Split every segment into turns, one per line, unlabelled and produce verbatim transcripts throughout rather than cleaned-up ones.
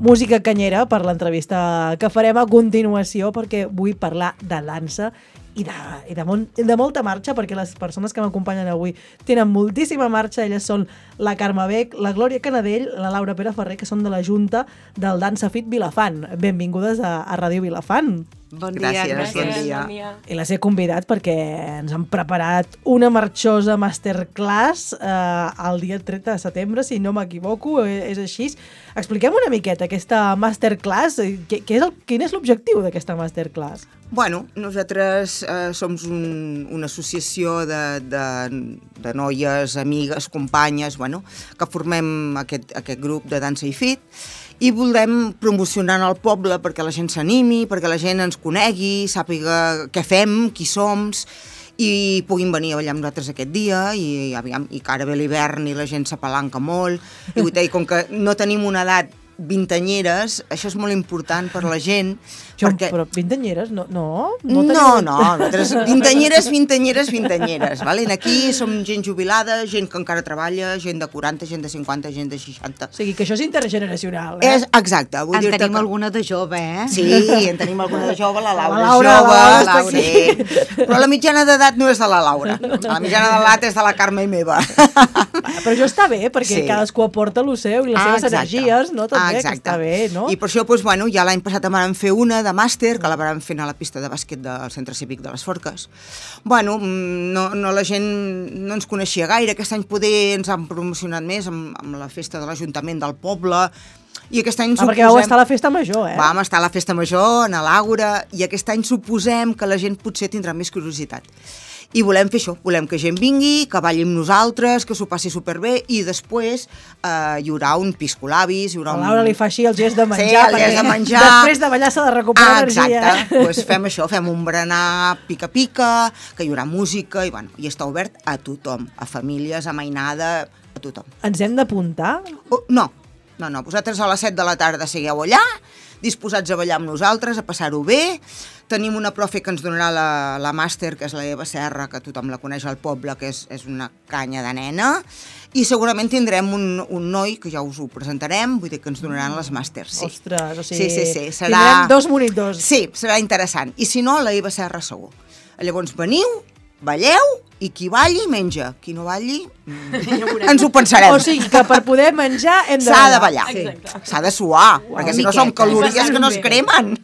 música canyera per l'entrevista que farem a continuació, perquè vull parlar de dansa i de, i de, mon, de molta marxa, perquè les persones que m'acompanyen avui tenen moltíssima marxa. Elles són la Carme Bec, la Glòria Canadell, la Laura Pere Ferrer, que són de la Junta del Dansa Fit Vilafant. Benvingudes a, a Ràdio Vilafant.
Bon dia,
gràcies,
gràcies.
bon dia.
Bon dia.
I les he convidat perquè ens han preparat una marxosa masterclass eh, el dia trenta de setembre, si no m'equivoco, és així. Expliquem una miqueta aquesta masterclass. Què, què és el, quin és l'objectiu d'aquesta masterclass?
Bueno, nosaltres eh, som un, una associació de, de, de noies, amigues, companyes, bueno, que formem aquest, aquest grup de dansa i fit, i volem promocionar al poble perquè la gent s'animi, perquè la gent ens conegui, sàpiga què fem, qui som, i puguin venir a ballar amb nosaltres aquest dia, i, aviam, i que ara ve l'hivern i la gent s'apalanca molt, i, i com que no tenim una edat vintanyeres, això és molt important per la gent.
Jo,
perquè...
Però vintanyeres, no? No,
no, no, no nosaltres, vintanyeres, vintanyeres, vintanyeres. Vale? Aquí som gent jubilada, gent que encara treballa, gent de quaranta, gent de cinquanta, gent de seixanta.
O sigui, que això és intergeneracional, eh?
És, exacte. Vull
en tenim
que...
alguna de jove, eh?
Sí, en tenim alguna de jove, la Laura,
la Laura
jove,
la Laura
sí. Però la mitjana d'edat no és de la Laura, la mitjana d'edat és de la Carme i meva.
Però això està bé, perquè sí. cadascú aporta el seu i les
ah,
seves
exacte.
energies, no? També,
ah,
que està bé, no?
I per això, doncs, bueno, ja l'any passat en vam fer una de màster, que la vam fer a la pista de bàsquet del Centre Cívic de les Forques. Bueno, no, no, la gent no ens coneixia gaire, aquest any poder ens han promocionat més amb, amb la festa de l'Ajuntament del poble, i aquest any
ah,
suposem...
perquè vau estar a la festa major, eh?
Vam estar a la festa major, a l'Àgora, i aquest any suposem que la gent potser tindrà més curiositat. I volem fer això, volem que gent vingui, que balli amb nosaltres, que s'ho passi superbé, i després eh, hi haurà un piscolabis, hi haurà un...
A Laura li fa així el gest de menjar,
sí, el
perquè
gest de menjar.
Després de ballar s'ha de recuperar
ah,
energia.
Exacte, doncs fem això, fem un berenar pica-pica, que hi haurà música, i, bueno, i està obert a tothom, a famílies, a mainada, a tothom.
Ens hem d'apuntar?
Oh, no, no, no, vosaltres a les set de la tarda sigueu allà, disposats a ballar amb nosaltres, a passar-ho bé. Tenim una profe que ens donarà la, la màster, que és la Eva Serra, que tothom la coneix al poble, que és, és una canya de nena, i segurament tindrem un, un noi, que ja us ho presentarem, vull dir que ens donaran les màsters. Sí.
Ostres, o sigui,
sí, sí, sí. Serà...
tindrem dos monitors.
Sí, serà interessant. I si no, la Eva Serra segur. Llavors veniu, balleu, i qui balli, menja. Qui no balli, mm, ens ho pensarem.
O sigui, que per poder menjar hem de
S'ha de ballar.
Sí.
S'ha de suar,
Uau,
perquè si no són calories que no es cremen.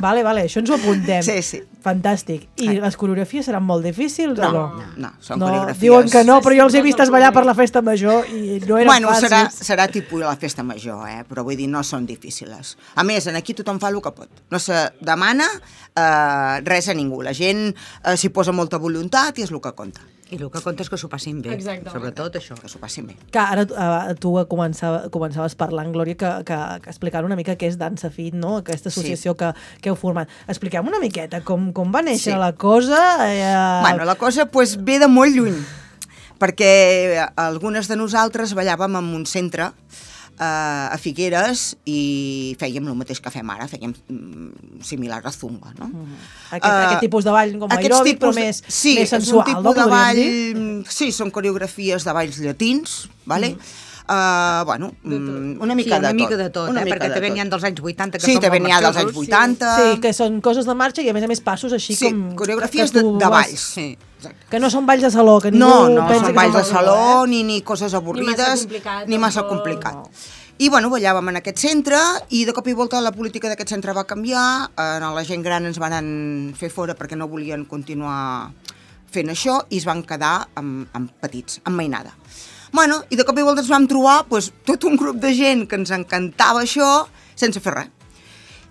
Vale, vale, això ens ho apuntem.
Sí, sí.
Fantàstic. I les coreografies seran molt difícils
no,
o no?
No, no, són
no,
coreografies...
Diuen que no, però jo els he vist ballar per la festa major i no eren
bueno,
fàcils.
Serà, serà tipus la festa major, eh? Però vull dir, no són difícils. A més, aquí tothom fa el que pot. No se demana eh, res a ningú. La gent eh, s'hi posa molta voluntat i és el que compta.
I el que compta és que s'ho passin bé. Exactament. Sobretot això.
Que s'ho passin bé.
Que ara uh, tu començava, començaves parlant, Glòria, que, que, que explicant una mica què és Dansa Fit, no? Aquesta associació sí. que, que heu format. Expliquem una miqueta com, com va néixer sí. la cosa. Eh...
Bueno, la cosa pues, ve de molt lluny, perquè algunes de nosaltres ballàvem en un centre a Figueres i fèiem el mateix que fem ara, fèiem similar a Zumba, no? Uh-huh.
Aquest, uh, aquest tipus de ball com aeròbic, però més,
sí,
més sensual,
és un tipus
no?
de ball,
dir?
Sí, són coreografies de balls llatins, vale? Uh-huh. Uh, bueno, una mica,
sí, una
de,
mica
tot.
de tot,
una
eh?
mica
perquè també
tot.
n'hi ha dels anys vuitanta que
sí,
són molt
marxosos. Sí, també n'hi ha dels anys vuitanta.
Sí, que són coses de marxa i a més a més passos així
sí,
com...
coreografies de, de balls. Sí.
Exacte. Que no són balls de saló, que ningú
no, no,
pensa
són
que
balls de
no
saló,
eh?
ni, ni coses avorrides,
ni massa complicat.
Ni massa complicat. No. I bueno, ballàvem en aquest centre i de cop i volta la política d'aquest centre va canviar, eh, la gent gran ens van fer fora perquè no volien continuar fent això i es van quedar amb, amb petits, amb mainada. Bueno, i de cop i volta ens vam trobar pues, tot un grup de gent que ens encantava això sense fer res.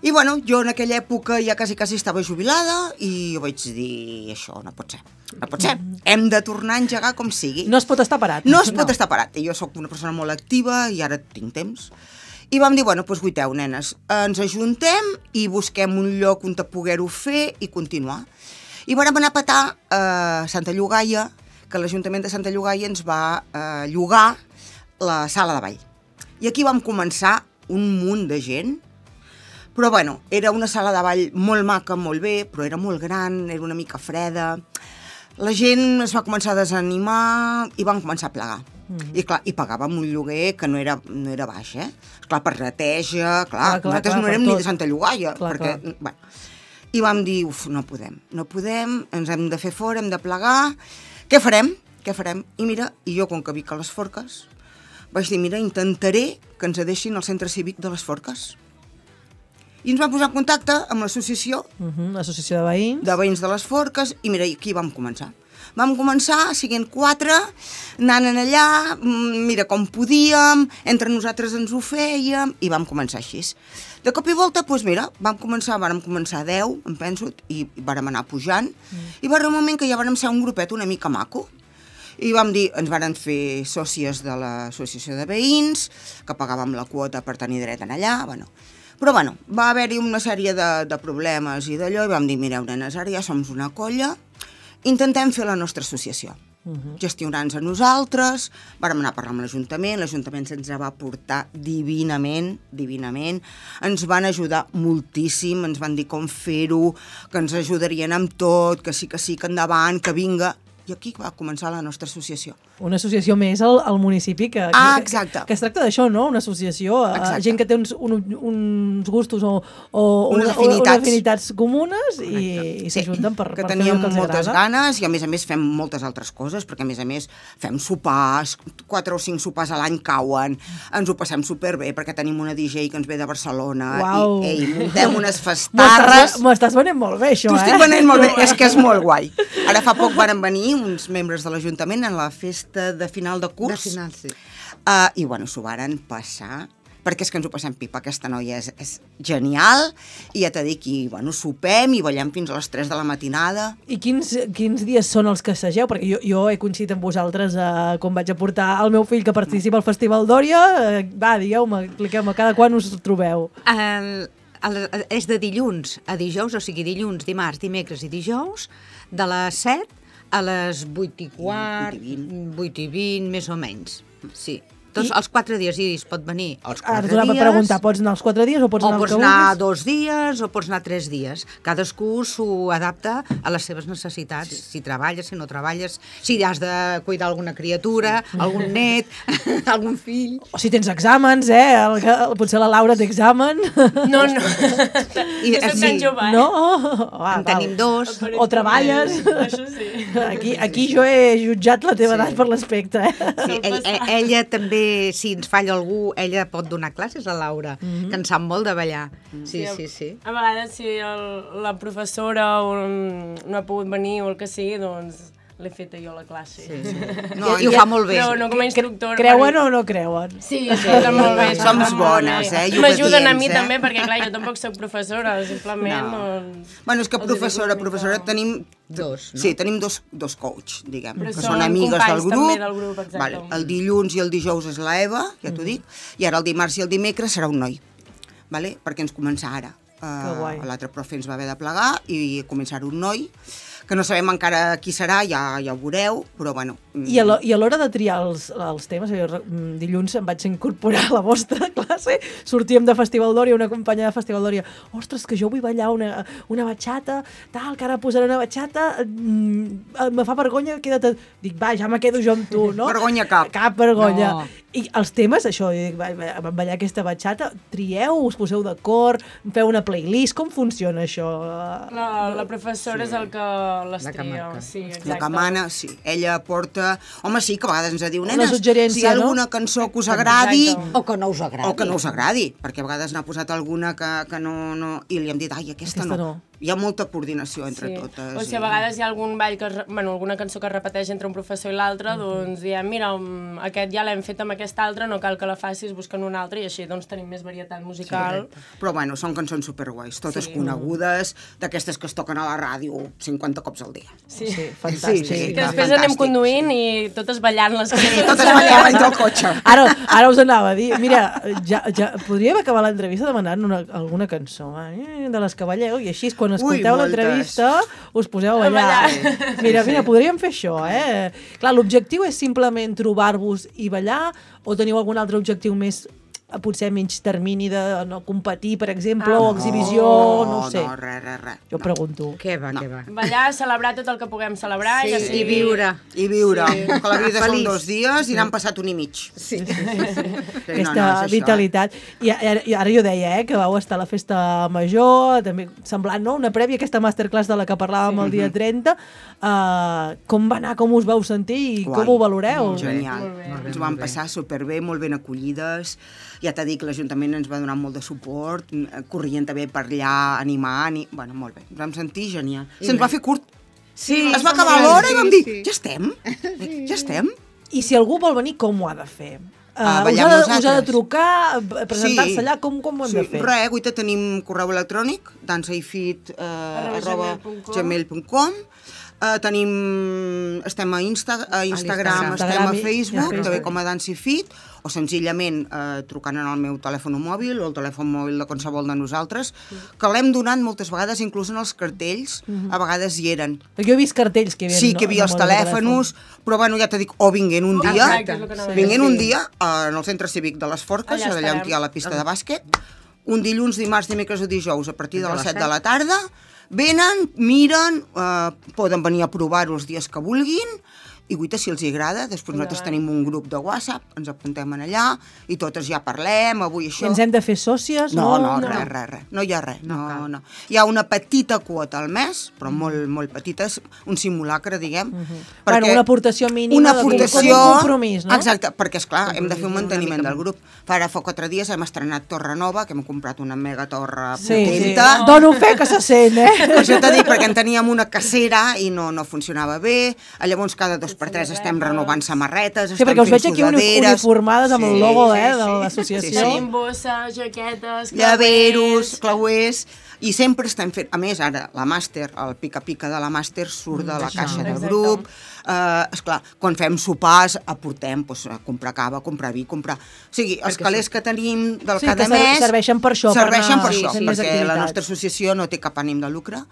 I bueno, jo en aquella època ja quasi quasi estava jubilada i vaig dir, això no pot ser, no pot ser, hem de tornar a engegar com sigui.
No es pot estar parat.
No es pot no. estar parat, i jo sóc una persona molt activa i ara tinc temps. I vam dir, bueno, doncs guiteu, nenes, ens ajuntem i busquem un lloc on poder-ho fer i continuar. I vam anar a petar a Santa Llogaia, que l'Ajuntament de Santa Llogaia ens va eh, llogar la sala de ball. I aquí vam començar un munt de gent, però bueno, era una sala de ball molt maca, molt bé, però era molt gran, era una mica freda. La gent es va començar a desanimar i van començar a plegar. Mm. I clar, i pagàvem un lloguer que no era, no era baix, eh? Clar, per neteja, clar, clar, clar nosaltres clar, no érem ni de Santa Llogaia, clar, perquè, clar. Bueno, i vam dir, uf, no podem, no podem, ens hem de fer fora, hem de plegar, què farem? Què farem? I mira, i jo, com que vic a les Forques, vaig dir, mira, intentaré que ens deixin al centre cívic de les Forques. I ens vam posar en contacte amb l'associació,
uh -huh, l'associació de veïns,
de veïns de les Forques, i mira, aquí vam començar. Vam començar, siguent quatre, anant allà, mira com podíem, entre nosaltres ens ho fèiem, i vam començar així. De cop i volta, doncs mira, vam començar, vàrem començar deu, em penso, i vàrem anar pujant, mm. i va arribar un moment que ja vàrem ser un grupet una mica maco, i vam dir, ens varen fer sòcies de l'associació de veïns, que pagàvem la quota per tenir dret en allà, bueno. Però bueno, va haver-hi una sèrie de, de problemes i d'allò, i vam dir, mireu, nenes, ara ja som una colla, intentem fer la nostra associació, uh-huh. gestionar-nos a nosaltres, vàrem anar a parlar amb l'Ajuntament, l'Ajuntament se'ns va portar divinament, divinament, ens van ajudar moltíssim, ens van dir com fer-ho, que ens ajudarien amb tot, que sí, que sí, que endavant, que vinga, i aquí va començar la nostra associació.
Una associació més al, al municipi que,
ah,
que, que, que es tracta d'això, no? Una associació, a gent que té uns, un, uns gustos o, o
unes, afinitats.
unes afinitats comunes i, i s'ajunten sí. per,
que
per fer el que els agrada.
teníem moltes ganes i a més a més fem moltes altres coses, perquè a més a més fem sopars, quatre o cinc sopars a l'any cauen, ens ho passem superbé perquè tenim una D J que ens ve de Barcelona
Uau.
i ei, muntem unes festarres.
M'ho estàs venent molt bé, això,
T'ho
eh?
estic venent molt bé, és que és molt guai. Ara fa poc varen venir uns membres de l'Ajuntament en la festa de final de curs.
De final, sí.
Uh, I, bueno, s'ho varen passar, perquè és que ens ho passem pipa. Aquesta noia és, és genial, i ja t'he dit que, bueno, sopem i ballem fins a les tres de la matinada.
I quins, quins dies són els que assageu? Perquè jo, jo he coincidit amb vosaltres eh, quan vaig a portar el meu fill que participa al Festival d'Òria. Eh, va, digueu-me, expliqueu-me, cada quan us trobeu?
El, el, és de dilluns a dijous, o sigui, dilluns, dimarts, dimecres i dijous, de les set a les vuit i quart, vuit i vint, més o menys, sí. Tots I... els quatre dies, i es pot venir els quatre
dies. Ara
dies.
Per preguntar, pots anar els quatre dies o pots
o
anar
pots
els
anar dos dies o pots anar tres dies. Cadascú s'ho adapta a les seves necessitats. Sí. Si treballes, si no treballes, si has de cuidar alguna criatura, sí. algun net, algun fill.
O si tens exàmens, eh? El, el, potser la Laura té examen.
No, no.
I,
jo soc tan jove, eh?
No? Oh,
en tenim dos.
O treballes.
Això sí.
Aquí, aquí jo he jutjat la teva sí. edat per l'aspecte, eh?
Sí, ell, ella també, si ens falla algú, ella pot donar classes a Laura, mm-hmm. que en sap molt de ballar. Sí, sí, sí. sí.
A vegades, si el, la professora no ha pogut venir o el que sigui, doncs l'he feta jo la classe. Sí, sí.
No, I ho fa molt bé.
Però no com a instructor.
Creuen o no creuen?
Sí, sí, està molt bé.
Som bones, eh?
M'ajuden a mi eh? també, perquè clar, jo tampoc soc professora, simplement...
No.
Doncs,
bueno, és que professora, professora tenim... Dos, no? Sí, tenim dos, dos coach, diguem,
però
que són amigues del grup.
del grup
vale. El dilluns i el dijous és la Eva, ja t'ho mm. dic, i ara el dimarts i el dimecres serà un noi, vale? Perquè ens comença ara. Uh, L'altre profe ens va haver de plegar i començar un noi, que no sabem encara qui serà, ja, ja ho veureu, però bueno...
I a l'hora de triar els, els temes, jo, dilluns em vaig incorporar a la vostra classe, sortíem de Festival d'Òria, una companya de Festival d'Òria, ostres, que jo vull ballar una, una batxata, tal, que ara posaré una batxata, mm, me fa vergonya, queda't... Dic, va, ja me quedo jo amb tu, no?
Vergonya cap.
Cap vergonya. No. I els temes, això, dic, vam ballar aquesta batxata, trieu, us poseu d'acord, feu una playlist, com funciona això?
La, la professora sí. és el que les tria. Sí,
la que mana, sí. Ella porta... Home, sí, que a vegades ens diu, nenes, si hi ha alguna
no?
cançó que us agradi...
Exacte. O que no us agradi.
O que no us agradi, perquè a vegades n'ha posat alguna que, que no, no... I li hem dit, ai, aquesta, aquesta no. no. Hi ha molta coordinació entre sí. totes.
O sigui, a vegades hi ha algun ball, que, bueno, alguna cançó que es repeteix entre un professor i l'altre, mm-hmm. doncs diem, mira, aquest ja l'hem fet amb aquest altre, no cal que la facis buscant un altre, i així doncs tenim més varietat musical.
Sí, però bueno, són cançons superguais, totes sí. conegudes, d'aquestes que es toquen a la ràdio cinquanta cops al dia.
Sí,
sí fantàstic.
Sí, sí,
que després fantàstic, anem conduint sí. i totes ballant les
cançons. Sí, totes ballant entre el cotxe.
Ara, ara us anava a dir, mira, ja, ja podríem acabar l'entrevista demanant una, alguna cançó eh, de les que balleu, i així quan escolteu l'entrevista us poseu a ballar. Mira, mira, podríem fer això, eh? Clar, l'objectiu és simplement trobar-vos i ballar, o teniu algun altre objectiu més potser menys termini de no competir, per exemple,
Ah,
o
no.
exhibició, no ho sé.
No, res, res, res.
Jo pregunto.
Què va,
No.
què va.
Ballar, celebrar tot el que puguem celebrar.
Sí,
ja
i
sigui...
viure.
I viure,
Sí.
que la vida són
Feliç.
dos dies i n'han passat un i mig.
Sí.
Sí,
Aquesta
no, no, és això,
vitalitat. I, ara, I ara jo deia, eh, que vau estar a la festa major, també semblant, no?, una prèvia a aquesta masterclass de la que parlàvem sí. el dia trenta. Uh, com va anar, com us vau sentir i
Guai.
com ho valoreu?
Genial.
Molt bé.
Molt bé,
Ens ho vam
molt bé.
passar superbé, molt ben acollides. Ja t'he dit que l'Ajuntament ens va donar molt de suport, corrien també per allà, animant, i... bueno, molt bé. Ens vam sentir genial. Se'ns va fer curt.
Sí,
Es va
sí,
acabar
sí,
l'hora i
sí,
vam dir,
sí.
ja estem? Ja estem?
I si algú vol venir, com ho ha de fer? Uh,
A
us,
ballar
ha
amb
de, us ha de
nosaltres.
trucar, eh, presentar-se
Sí.
allà, com, com ho hem
Sí,
de fer?
res, avui tenim correu electrònic, dansaifit eh, arroba
gmail punt com.
gmail punt com. Uh, tenim, estem a, Insta, a Instagram,
l'Instagram.
estem a
Instagram i-
Facebook,
i a Facebook.
també com a Dansifit, o senzillament eh, trucant en el meu telèfon mòbil o el telèfon mòbil de qualsevol de nosaltres, que l'hem donat moltes vegades, inclús en els cartells, a vegades hi eren.
Perquè jo he vist cartells que hi havia...
Sí, que hi havia els telèfons, però bueno, ja t'he dit, o vinguent un dia,
Exacte, és el que anava a dir.
vinguent un dia eh, en el centre cívic de les Forques,
Allà
allà on
estarem.
hi ha la pista de bàsquet, un dilluns, dimarts, dimecres o dijous, a partir de les set de la tarda, venen, miren, eh, poden venir a provar-ho els dies que vulguin, i guaita, si els hi agrada, després nosaltres tenim un grup de WhatsApp, ens apuntem en allà, i totes ja parlem, avui això...
Ens hem de fer sòcies?
No, no,
no.
res, res, res. No hi ha res, no, no. Hi ha una petita quota al mes, però molt, molt petita, és un simulacre, diguem.
Bueno, una aportació mínima
una
de com-
aportació,
com un compromís, no?
Exacte, perquè, esclar, hem de fer un
Compromís, una
manteniment
mica
del grup. Fa ara fa quatre dies hem estrenat Torre Nova, que hem comprat una mega torre
Sí, sí.
potenta.
Dono fe que se sent, eh?
Per això t'he dit, perquè en teníem una cacera i no, no funcionava bé. Llavors, cada dos per tres estem renovant samarretes,
Sí,
estem
perquè us
fent
veig aquí uni-
sudaderes.
uniformades amb el
Sí,
logo,
sí,
eh,
sí.
de l'associació.
Tenim bosses, jaquetes,
Llaveros, clauers, i sempre estem fent... A més, ara, la màster, el pica-pica de la màster surt de la caixa del
Exacte.
grup. Uh, esclar, quan fem sopars, aportem pues, a comprar cava, comprar vi, comprar... O sigui, els
Perquè
calés que tenim del
Sí,
cada
que ser-
mes...
serveixen per això, per
Serveixen
anar
per això,
fent més
perquè la
activitats.
nostra associació no té cap ànim de lucre.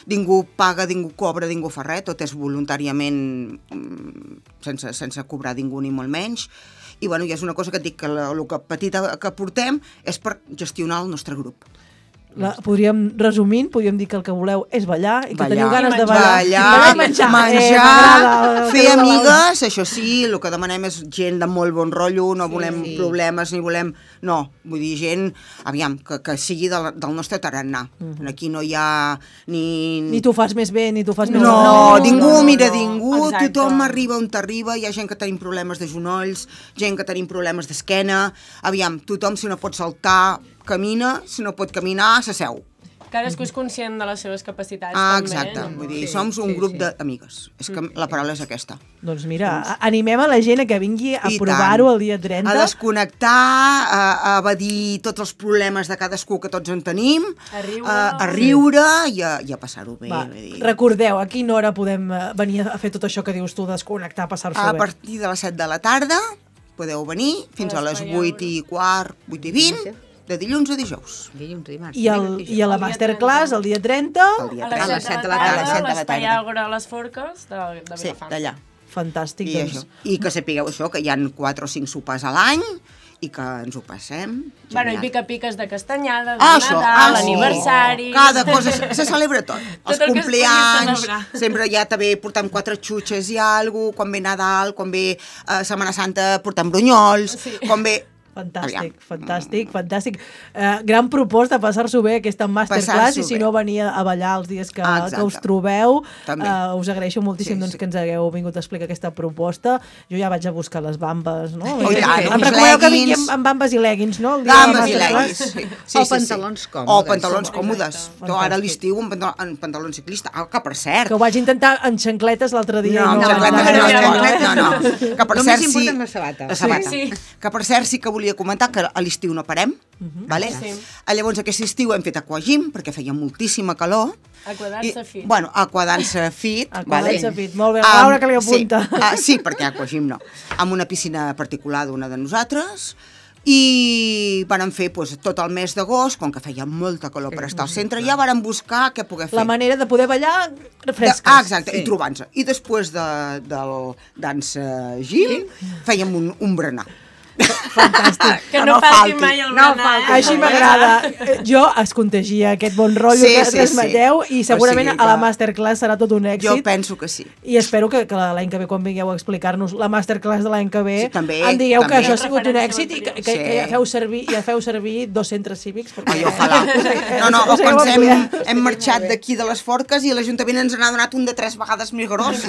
Ningú paga, ningú cobra, ningú fa res, tot és voluntàriament mm, sense, sense cobrar ningú ni molt menys. I bueno, ja és una cosa que et dic, que la, el que petita que portem és per gestionar el nostre grup.
La, podríem, resumint, podríem dir que el que voleu és ballar i que
Ballar.
teniu ganes
I
de
menjar.
ballar.
Ballar,
Ballar i menjar.
menjar,
Eh, m'agrada,
fer
que no
amigues, això sí, el que demanem és gent de molt bon rotllo, no volem
sí.
problemes ni volem... No, vull dir, gent, aviam, que, que sigui del, del nostre tarannà.
Mhm.
Aquí no hi ha ni...
Ni tu fas més bé, ni tu fas més
No,
malament.
ningú
no, no,
mira
no.
ningú,
Exacte.
tothom arriba on t'arriba, hi ha gent que tenim problemes de genolls, gent que tenim problemes d'esquena, aviam, tothom si no pot saltar, camina, si no pot caminar, s'asseu.
Cadascú és conscient de les seves capacitats,
Ah,
també.
exacte,
no?
vull dir,
Sí,
som un
sí,
grup
sí.
d'amigues, és que la paraula és aquesta.
Doncs mira, a- animem a la gent a que vingui a
I
provar-ho
tant.
el dia trenta.
A desconnectar, a, a evadir tots els problemes de cadascú que tots en tenim,
A riure.
a, a riure i a, i a passar-ho bé.
Va,
vull dir.
recordeu, a quina hora podem eh, venir a fer tot això que dius tu, desconnectar, passar-s'ho
A
bé?
partir de les set de la tarda podeu venir fins a les
l'espai
vuit i quart, vuit i vint, de dilluns a dijous.
Dilluns, dimarts.
I, el, I a la
El dia
masterclass, el dia trenta,
El dia
A
trenta.
les set de la
A les
tarda,
set de la
l'espai
tarda.
Àgora a les Forques de, de
Sí,
Vilafant.
d'allà.
fantàstic.
I,
doncs.
això. I que sapigueu això, que hi han quatre o cinc sopars a l'any i que ens ho passem.
Bueno, i
genial.
pica-piques de castanyada, de
Ah, això,
Nadal,
ah, sí.
aniversari...
Cada cosa, se, se celebra tot.
Tot
Els
el que es pugui
compleanys,
celebrar.
sempre ja també portem quatre xutxes i alguna cosa, quan ve Nadal, quan ve eh, Setmana Santa portem brunyols,
Sí.
quan ve...
Fantàstic,
Aviam.
fantàstic, fantàstic. Uh, gran proposta, passar-s'ho bé aquesta masterclass
Passar-s'ho
i si
bé.
no venir a ballar els dies que,
Ah,
que us
exacte.
trobeu.
També.
Uh, us agraeixo moltíssim
Sí,
doncs,
sí.
que ens hagueu vingut a explicar aquesta proposta. Jo ja vaig a buscar les bambes, no?
Oh, i tant,
em
uns
recomaneu que vingui
leggings.
amb, amb bambes i leggings, no? El dia de la
Gambes i
masterclass?
leggings. Sí, sí,
O
sí,
pantalons
sí.
còmodes.
O pantalons
Exacte.
còmodes. Tu ara a
Fantàstic.
l'estiu en, pantaló, en pantalon ciclista. Ah, que per cert...
Que ho vaig intentar en xancletes l'altre dia.
No,
i
amb
no,
xancletes
vaig
no,
anar,
no,
eh?
no, no. Que per
Només
cert, sí...
importen les sabates.
La sabata.
Sí, sí.
Que per cert sí que volia comentar que a l'estiu no parem, vale?
Sí.
Ah, Llavors aquest estiu hem fet aquagym perquè feia moltíssima calor.
Aquadansa fit.
Bueno, aquadansa fit.
Aquadansa fit, molt bé.
Amb-
Laura, que li apunta.
Sí, ah, sí, perquè aquagym no. Amb una piscina particular d'una de nosaltres i vàrem fer doncs, tot el mes d'agost, com que feia molta calor per estar al centre, ja vàrem buscar què poder fer.
La manera de poder ballar fresques.
De, ah, exacte,
Sí.
i trobant-se. I després de, del dansa gym fèiem un, un berenar.
Fantàstic.
Que
Que
no,
no
falti
falti,
mai el
no
berenar.
falti.
Així m'agrada. Jo es contagia aquest bon rotllo
Sí,
que
sí,
transmeteu
sí.
i segurament
O sigui
a la
que-
masterclass serà tot un
Jo
èxit.
penso que sí.
I espero que, que l'any que ve, quan vingueu a explicar-nos la masterclass de l'any que ve,
Sí, també,
em digueu que
també.
això ha sigut un
Referència
èxit i que, que,
Sí.
que ja feu servir, ja feu servir dos centres cívics. Perquè,
Ai, ojalà. No, no, o quan hem, hem marxat d'aquí de les Forques i l'Ajuntament ens n'ha donat un de tres vegades més gros.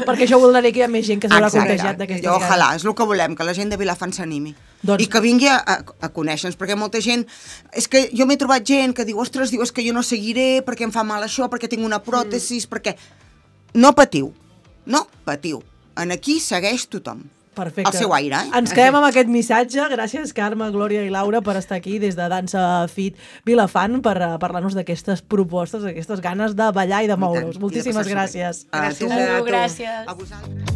perquè això vol dir que hi ha més gent que s'haurà
Exacte.
contagiat d'aquestes
Jo, ojalà, és el que volem, que la gent de Vilafant s'animi.
Doncs-
I que vingui a, a, a conèixer-nos, perquè molta gent... És que jo m'he trobat gent que diu, ostres, diu, és que jo no seguiré perquè em fa mal això, perquè tinc una pròtesis, perquè... No patiu, no patiu. En aquí segueix tothom.
Perfecte.
El seu aire, eh?
Ens quedem amb aquest missatge. Gràcies, Carme, Glòria i Laura, per estar aquí des de Dansa Fit Vilafant per uh, parlar-nos d'aquestes propostes, d'aquestes ganes de ballar i de moure's. Moltíssimes gràcies.
A
Gràcies
tu.
a tu.
Gràcies.
A vosaltres.